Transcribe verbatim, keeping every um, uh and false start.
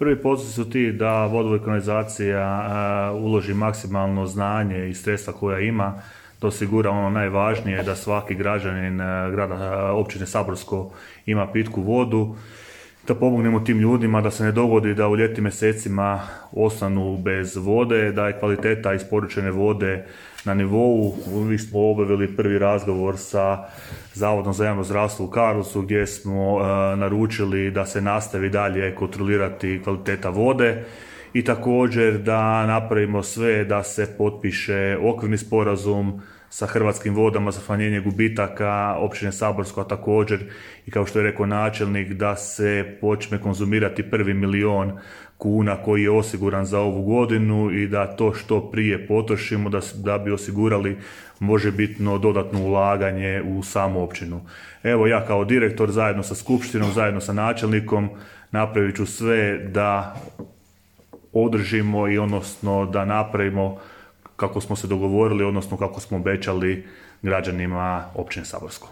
Prvi postoji su ti da vodovod i kanalizacija uloži maksimalno znanje i sredstva koja ima, da osigura ono najvažnije, da svaki građanin grada općine Saborsko ima pitku vodu, da pomognemo tim ljudima da se ne dogodi da u ljetnim mjesecima ostanu bez vode, da je kvaliteta isporučene vode na nivou. Mi smo obavili prvi razgovor sa Zavodom za javno zdravstvo u Karlovcu gdje smo uh, naručili da se nastavi dalje kontrolirati kvaliteta vode i također da napravimo sve da se potpiše okvirni sporazum sa Hrvatskim vodama za smanjenje gubitaka općine Saborsko, a također i kao što je rekao načelnik da se počne konzumirati prvi milion kuna koji je osiguran za ovu godinu i da to što prije potrošimo da, da bi osigurali možebitno dodatno ulaganje u samu općinu. Evo ja kao direktor zajedno sa skupštinom, zajedno sa načelnikom napravit ću sve da održimo i odnosno da napravimo kako smo se dogovorili, odnosno kako smo obećali građanima općine Saborsko.